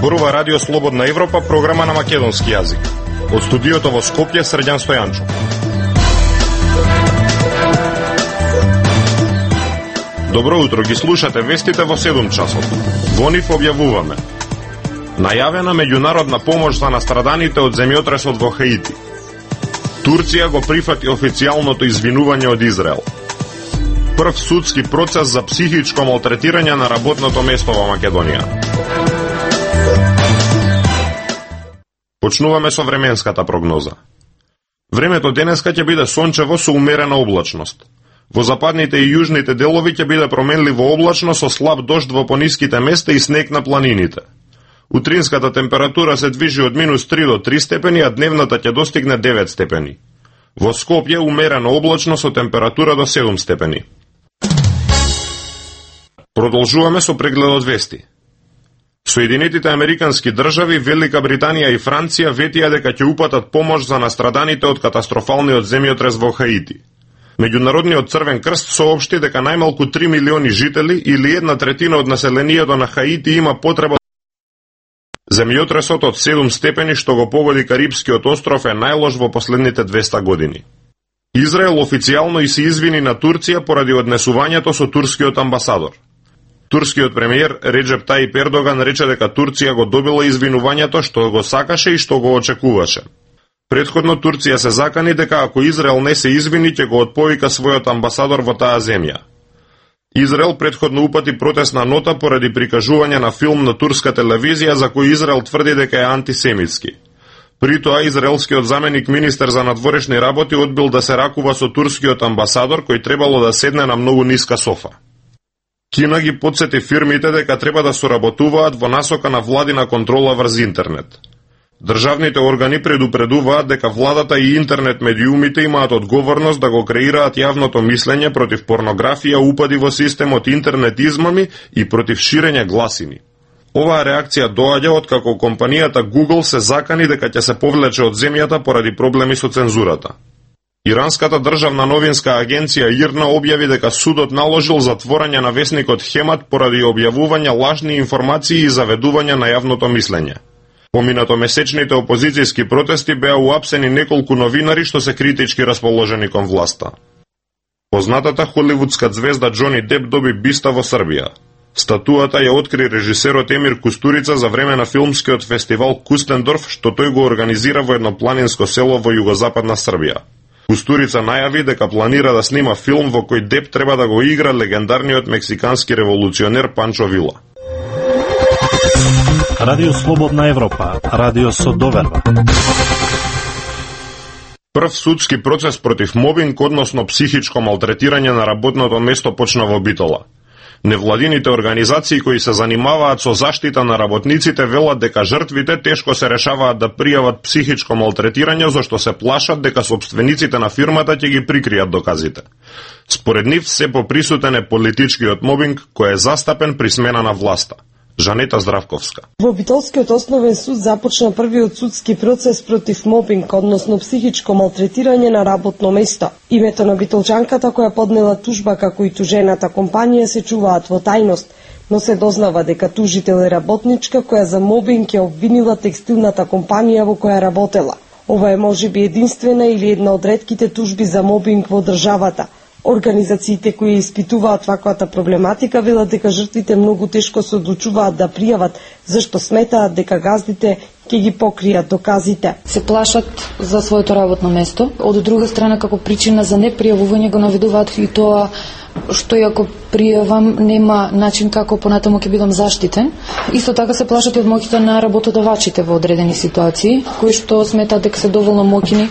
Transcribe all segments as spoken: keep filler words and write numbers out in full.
Зборува Радио Слободна Европа, програма на македонски јазик. Од студиото во Скопје, Срđan Стојанчов. Добро утро, ги слушате вестите во седум часот. Во нив објавуваме: најавена меѓународна помош за настраданите од земјотресот во Хаити. Турција го прифати официјалното извинување од Израел. Прв судски процес за психичко малтретирање на работното место во Македонија. Почнуваме со временската прогноза. Времето денеска ќе биде сончево со умерена облачност. Во западните и јужните делови ќе биде променливо облачно со слаб дожд во пониските места и снег на планините. Утринската температура се движи од минус три до три степени, а дневната ќе достигне девет степени. Во Скопје умерено облачно со температура до седум степени. Продолжуваме со прегледот вести. Соединетите Американски држави, Велика Британија и Франција ветија дека ќе упатат помош за настраданите од катастрофалниот земјотрес во Хаити. Меѓународниот Црвен крст соопшти дека најмалку три милиони жители или една третина од населението на Хаити има потреба. Земјотресот од седум степени што го погоди Карипскиот остров е најлош во последните двеста години. Израел официјално и се извини на Турција поради однесувањето со турскиот амбасадор. Турскиот премиер Реджеп Тајип Ердоган рече дека Турција го добила извинувањето што го сакаше и што го очекуваше. Претходно Турција се закани дека ако Израел не се извини, ќе го отповика својот амбасадор во таа земја. Израел претходно упати протестна нота поради прикажување на филм на турска телевизија за кој Израел тврди дека е антисемитски. При тоа израелскиот заменик министер за надворешни работи одбил да се ракува со турскиот амбасадор кој требало да седне на многу ниска софа. Кина ги потсети фирмите дека треба да соработуваат во насока на владина контрола врз интернет. Државните органи предупредуваат дека владата и интернет медиумите имаат одговорност да го креираат јавното мислење против порнографија, упади во системот, интернет измами и против ширење гласини. Оваа реакција доаѓа откако компанијата Google се закани дека ќе се повлече од земјата поради проблеми со цензурата. Иранската државна новинска агенција ИРНА објави дека судот наложил затворање на весникот Хемат поради објавување лажни информации и заведување на јавното мислење. Поминато месечните опозицијски протести беа уапсени неколку новинари што се критички расположени кон власта. Познатата холивудска ѕвезда Џони Деп доби биста во Србија. Статуата ја откри режисерот Емир Кустурица за време на филмскиот фестивал Кустендорф, што тој го организира во едно планинско село во југозападна Србија. Кустурица најави дека планира да снима филм во кој Деп треба да го игра легендарниот мексикански револуционер Панчо Вила. Радио Слободна Европа, радио со доверба. Прв судски процес против мобинг, односно психичко малтретирање на работното место, почна во Битола. Невладините организации кои се занимаваат со заштита на работниците велат дека жртвите тешко се решаваат да пријават психичко малтретирање, зашто се плашат дека собствениците на фирмата ќе ги прикријат доказите. Според нив се поприсутен е политичкиот мобинг кој е застапен при смена на власта. Жанета Здравковска. Во Битолскиот основен суд започна првиот судски процес против мобинг, односно психичко малтретирање на работно место. Името на битолчанката која поднела тужба како и тужената компанија се чуваат во тајност, но се дознава дека тужител е работничка која за мобинг ја обвинила текстилната компанија во која работела. Ова е можеби единствена или една од ретките тужби за мобинг во државата. Организациите кои испитуваат ваквата проблематика велат дека жртвите многу тешко се одлучуваат да пријават, зашто сметаат дека газдите ќе ги покријат доказите. Се плашат за своето работно место. Од друга страна, како причина за непријавување го наведуваат и тоа што и ако пријавам нема начин како понатаму ќе бидам заштитен. Исто така се плашат и од моќите на работодавачите во одредени ситуации, кои што сметаат дека се доволно моќни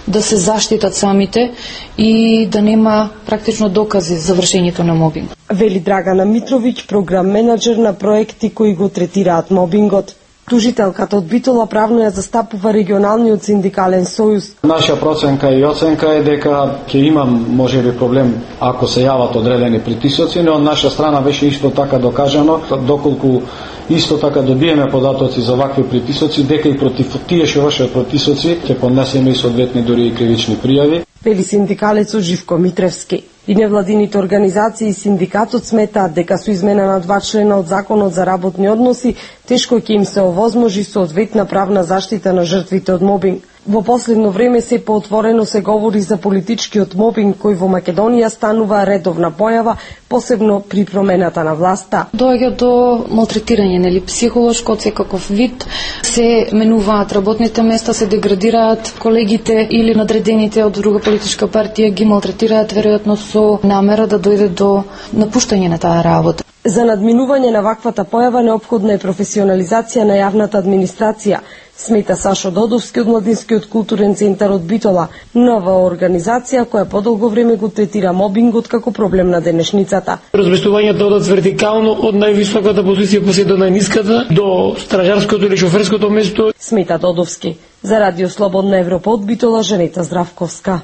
да се заштитат самите и да нема практично докази за вршењето на мобинг. Вели Драгана Митровиќ, програм менаџер на проекти кои го третираат мобингот. Тужителката од Битола правно ја застапува регионалниот синдикален сојуз. Наша проценка и оценка е дека ќе имам можеби проблем ако се јават одредени притисоци, но од наша страна беше исто така докажано, доколку исто така добиеме податоци за вакви притисоци, дека и против тие што вршат притисоци ќе поднесеме и соодветни дури и кривични пријави. Вели синдикалецот Живко Митревски. И невладините организации и синдикатот сметаат дека со измена на два члена од Законот за работни односи тешко ќе им се овозможи соодветна правна заштита на жртвите од мобинг. Во последно време се поотворено се говори за политичкиот мобинг кој во Македонија станува редовна појава, посебно при промената на власта. Доаѓа до малтретирање, нели, психолошко од секаков вид, се менуваат работните места, се деградираат колегите или надредените од друга политичка партија ги малтретираат веројатно со намера да дојде до напуштање на таа работа. За надминување на ваквата појава неопходна е професионализација на јавната администрација, смета Сашо Додовски од Младинскиот културен центар од Битола, нова организација која подолго време го третира мобингот како проблем на денешницата. Разместувањето од вертикално од највисоката позиција па се до најниската, до стражарското или шоферското место. Смета Додовски. За Радио Слободна Европа од Битола, Жанета Здравковска.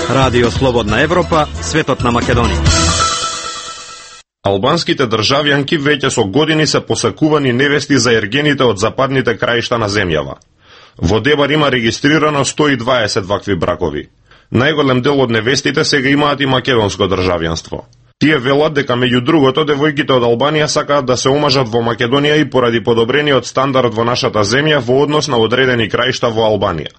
Радио Слободна Европа, светот на Македонија. Албанските државјанки веќе со години се посакувани невести за ергените од западните краишта на земјава. Во Дебар има регистрирано сто и дваесет вакви бракови. Најголем дел од невестите сега имаат и македонско државјанство. Тие велат дека меѓу другото девојките од Албанија сакаат да се омажат во Македонија и поради подобрениот стандард во нашата земја во однос на одредени краишта во Албанија.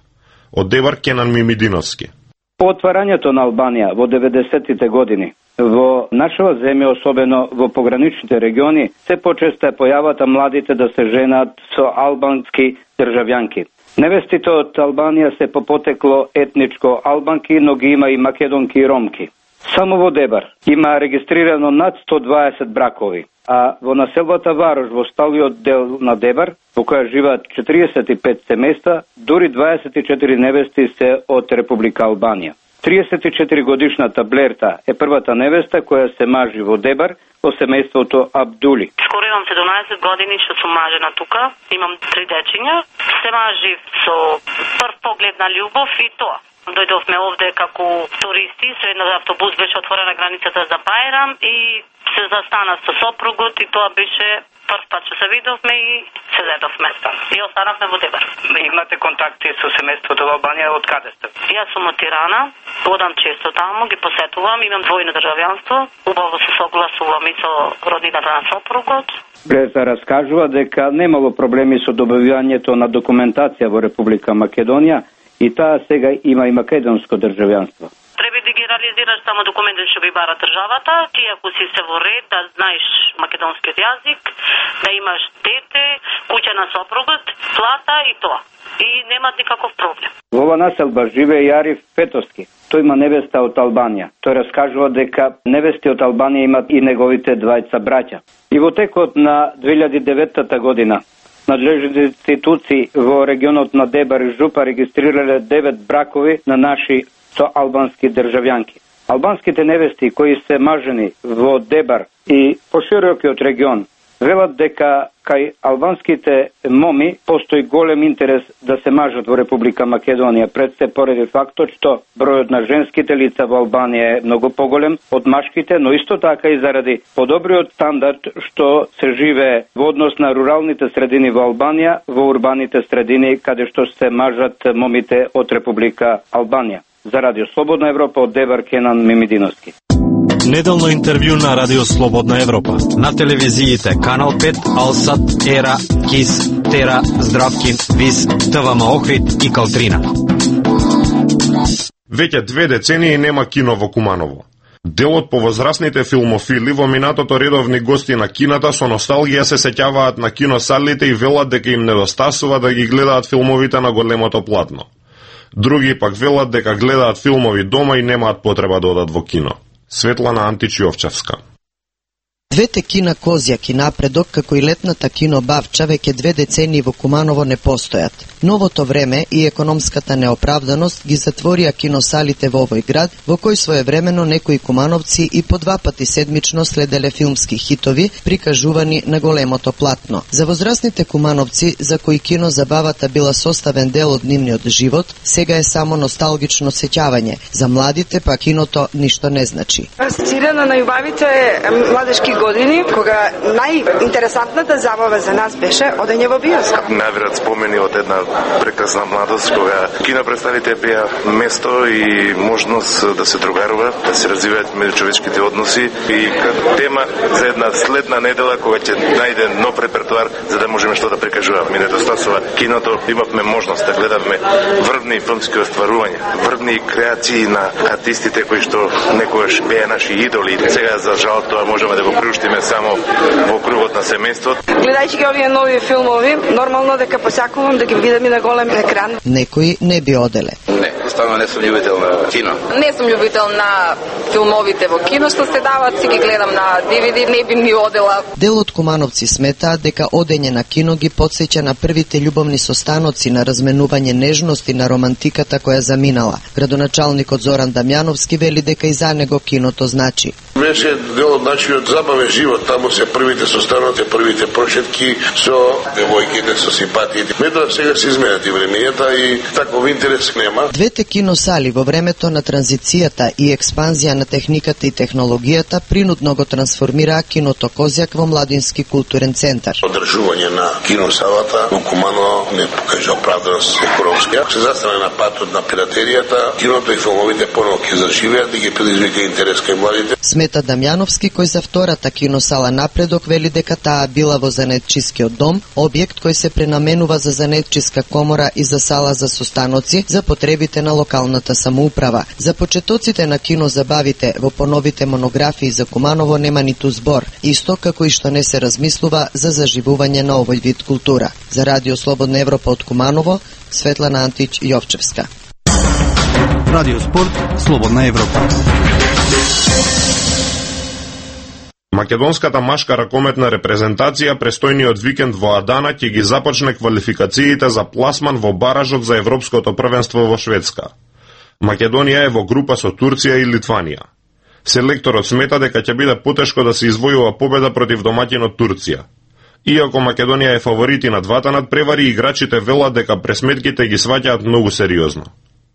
Од Дебар Кенан Мимидиновски. По отварањето на Албанија во деветдесеттите години, во нашава земја, особено во пограничните региони, се почесто е појавата младите да се женат со албански државјанки. Невестите од Албанија се по потекло етничко албанки, но ги има и македонки и ромки. Само во Дебар има регистрирано над сто дваесет бракови, а во населбата Варош, во сталиот дел на Дебар, во која живеат четиридесет и пет семејства, дури дваесет и четири невести се од Република Албанија. триесет и четири годишната Блерта е првата невеста која се мажи во Дебар во семејството Абдули. Скоро имам седумнаесет години што сум мажена тука, имам три дечиња, се мажи со прв поглед на љубов и тоа. Дојдовме овде како туристи, со една автобус беше отворена границата за Бајрам и се застана со сопругот и тоа беше прв пат што се видовме и се зедовме. И останавме во Дебар. Имате контакти со семејството во Албанија, од каде сте? Јас сум од Тирана, одам често таму, ги посетувам, имам двојно државјанство, убаво се согласувам и со роднината на сопругот. Блерта раскажува дека немало проблеми со добивањето на документација во Република Македонија и таа сега има и македонско државјанство. Треба да ги реализираш само документите што ги бара државата, ти ако си се во ред, да знаеш македонскиот јазик, да имаш дете, куќа на сопругот, плата и тоа. И немат никаков проблем. Во ова населба живее и Ариф Петовски. Тој има невеста од Албанија. Тој раскажува дека невести од Албанија имат и неговите двајца браќа. И во текот на две илјади и девета година надлежните институции во регионот на Дебар и Жупа регистрирале девет бракови на наши со албански државјанки. Албанските невести кои се мажени во Дебар и поширокиот регион велат дека кај албанските моми постои голем интерес да се мажат во Република Македонија, пред се поради фактот што бројот на женските лица во Албанија е многу поголем од машките, но исто така и заради подобриот стандард што се живее во однос на руралните средини во Албанија, во урбаните средини каде што се мажат момите од Република Албанија. За Радио Слободна Европа од Дебар Кенан Мимидиновски. Неделно интервју на Радио Слободна Европа. На телевизиите Канал пет, Алсат, Ера, Кис, Тера, Здравкин, Вис, ТВМ Охрид и Калтрина. Веќе две децении нема кино во Куманово. Дел од повозрасните филмофили во минатото редовни гости на кината со носталгија се сеќаваат на киносалите и велат дека им недостасува да ги гледаат филмовите на големото платно. Други пак велат дека гледаат филмови дома и немаат потреба да одат во кино. Светлана Античиовчевска. Двете кина Козјак и Напредок, како и летната кино Бавча, веќе две децении во Куманово не постојат. Новото време и економската неоправданост ги затворија киносалите во овој град, во кој своевремено некои кумановци и по два пати седмично следеле филмски хитови, прикажувани на големото платно. За возрастните кумановци, за кои кино забавата била составен дел од нивниот живот, сега е само носталгично сеќавање. За младите па киното ништо не значи. Асоцирана на љубавите е младешки години, кога најинтересантната забава за нас беше одење во биоскоп. Навират спомени од една прекрасна младост, кога кинопредставите беа место и можност да се другарува, да се развиваат меѓучовечките односи и како тема за една следна недела кога ќе најде нов репертуар за да можеме што да прикажуваме. Ми недостасува киното, имавме можност да гледаме врвни филмски остварувања, врвни креации на артистите кои што некогаш беа наши идоли. Сега за жал тоа можеме да го приуштиме само во кругот на семејството. Гледајќи ги овие нови филмови, нормално дека посакувам да ги видам и на голем екран. Некои не би оделе. Не, станува не сум љубител на кино. Не сум љубител на филмовите во кино што се дават, си ги гледам на ди ви ди, не би ми одела. Дел од кумановци сметаат дека одење на кино ги потсеќа на првите љубовни состаноци, на разменување нежности, на романтиката која заминала. Градоначалникот Зоран Дамјановски вели дека и за него киното значи. Беше дел од начинот забавен живот, таму се првите состаноци, првите прошетки со девојките, со симпатиите. Метоа сега се изменат и времењата и таков интерес нема. Двете киносали во времето на транзицијата и експанзија на техниката и технологијата принудно го трансформираа киното Козјак во младински културен центар. Одржување на киносалата во Куманово не покажа оправданост економска. Се застане на патот на пиратеријата, киното и филмовите поново ќе заживеат и ги предизвика интерес кај младите. Смета Дамјановски, кој за втората киносала напредок вели дека таа била во занаетчискиот дом, објект кој се пренаменува за занаетчиска комора и за сала за состаноци за потребите на локалната самоуправа. За почетоците на кинозабавите во поновите монографии за Куманово нема ниту збор, исто како и што не се размислува за заживување на овој вид култура. За Радио Слободна Европа од Куманово, Светлана Антич Јовчевска. Радио Спорт, Слободна Европа. Македонската машка ракометна репрезентација престојниот викенд во Адана ќе ги започне квалификациите за пласман во баражот за Европското првенство во Шведска. Македонија е во група со Турција и Литванија. Селекторот смета дека ќе биде потешко да се извојува победа против домаќинот Турција. Иако Македонија е фаворити на двата надпревари, играчите велат дека пресметките ги сваќаат многу сериозно.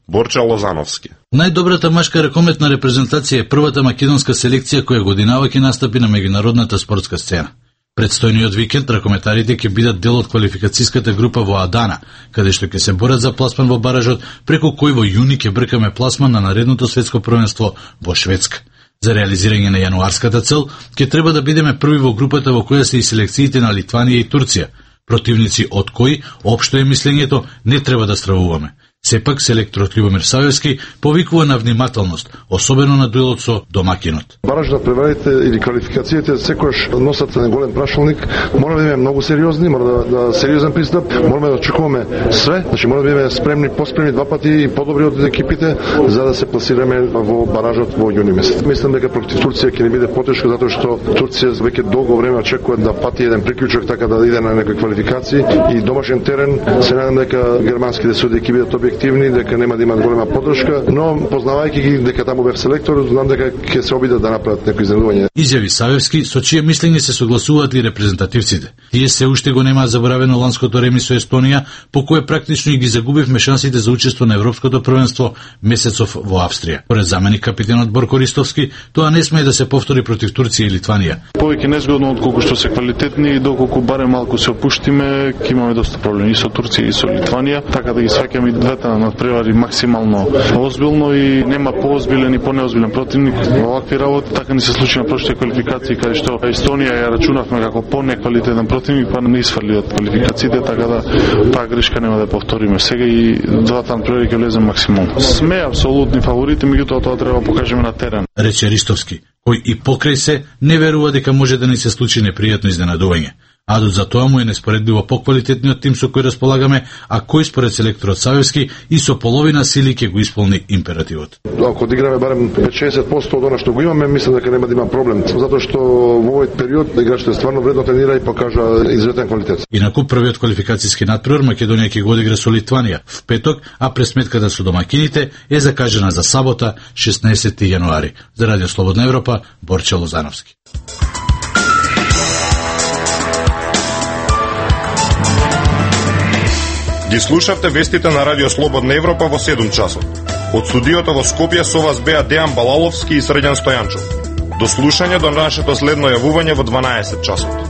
Борча Лозановски. Најдобрата машка ракометна репрезентација е првата македонска селекција која годинава ќе настапи на меѓународната спортска сцена. Предстојниот викенд ракометарите ќе бидат дел од квалификацијската група во Адана, каде што ќе се борат за пласман во баражот, преку кој во јуни ќе бркаме пласман на наредното светско првенство во Шведска. За реализирање на јануарската цел, ќе треба да бидеме први во групата во која се и селекциите на Литванија и Турција, противници од кои, општо е мислењето, не треба да стравуваме. Сепак, селекторот Љубомир Савевски повикува на внимателност, особено на дуелот со домакинот. Баражот на преварите или квалификациите секојаш носат на голем прашалник, мора да бидеме многу сериозни, мора да, да сериозен пристап, мораме да очекуваме све, значи мора да бидеме спремни, поспремни два пати и подобри од екипите за да се пласираме во баражот во јуни месец. Мислам дека против Турција ќе не биде потешко затоа што Турција веќе долго време очекува да пати еден приклучок така да иде на некои квалификации и домашен терен. Се надам дека германските суди ќе бидат објективни, дека нема да имат голема поддршка, но познавајќи ги дека таму бев селектор, знам дека ќе се обидат да направат некои изненадување. Изјави Савевски, со чие мислење се согласуваат и репрезентативците. Тие се уште го немаат заборавено ланското реми со Естонија, по кое практично и ги загубивме шансите за учество на Европското првенство месецов во Австрија. Поред заменик капитенот Борко Ристовски, тоа не смее да се повтори против Турција и Литванија. Повеќе незгодно отколку што се квалитетни и доколку барем малку се опуштиме, ќе имаме доста проблеми и со Турција и со Литванија, така да ги сваќаме и двете на надпревари максимално озбилно и нема поозбилен и понеозбилен противник во овакви работи. Така ни се случи на прошлите квалификации каде што Естонија ја рачунавме како понеквалитетен противник, па не исфрли од квалификациите, така да таа грешка нема да повториме сега и двата надпревари ќе влезем максимално. Сме апсолутни фаворити, меѓутоа тоа треба да покажеме на терен. Рече Ристовски, кој и покрај се не верува дека може да ни се случи непријатно изненадување. Адот за тоа му е неспоредливо поквалитетниот тим со кој располагаме, а кој според селекторот Савевски и со половина сили ќе го исполни императивот. Ако одиграме барем петдесет до шеесет проценти од она што го имаме, мислам дека нема да има проблем, затоа што во овој период играчите стварно вредно тренира и покажа изветен квалитет. Инаку првиот квалификацијски надпревар Македонија ќе го одигра со Литванија в петок, а пресметката со домакините е закажана за сабота шеснаесети јануари. За Радио Слободна Европа, Борче Лозановски. Ги слушавте вестите на Радио Слободна Европа во седум часот. Од студиото во Скопје со вас беа Дејан Балаловски и Срđan Стојанчов. До слушање до нашето следно јавување во дванаесет часот.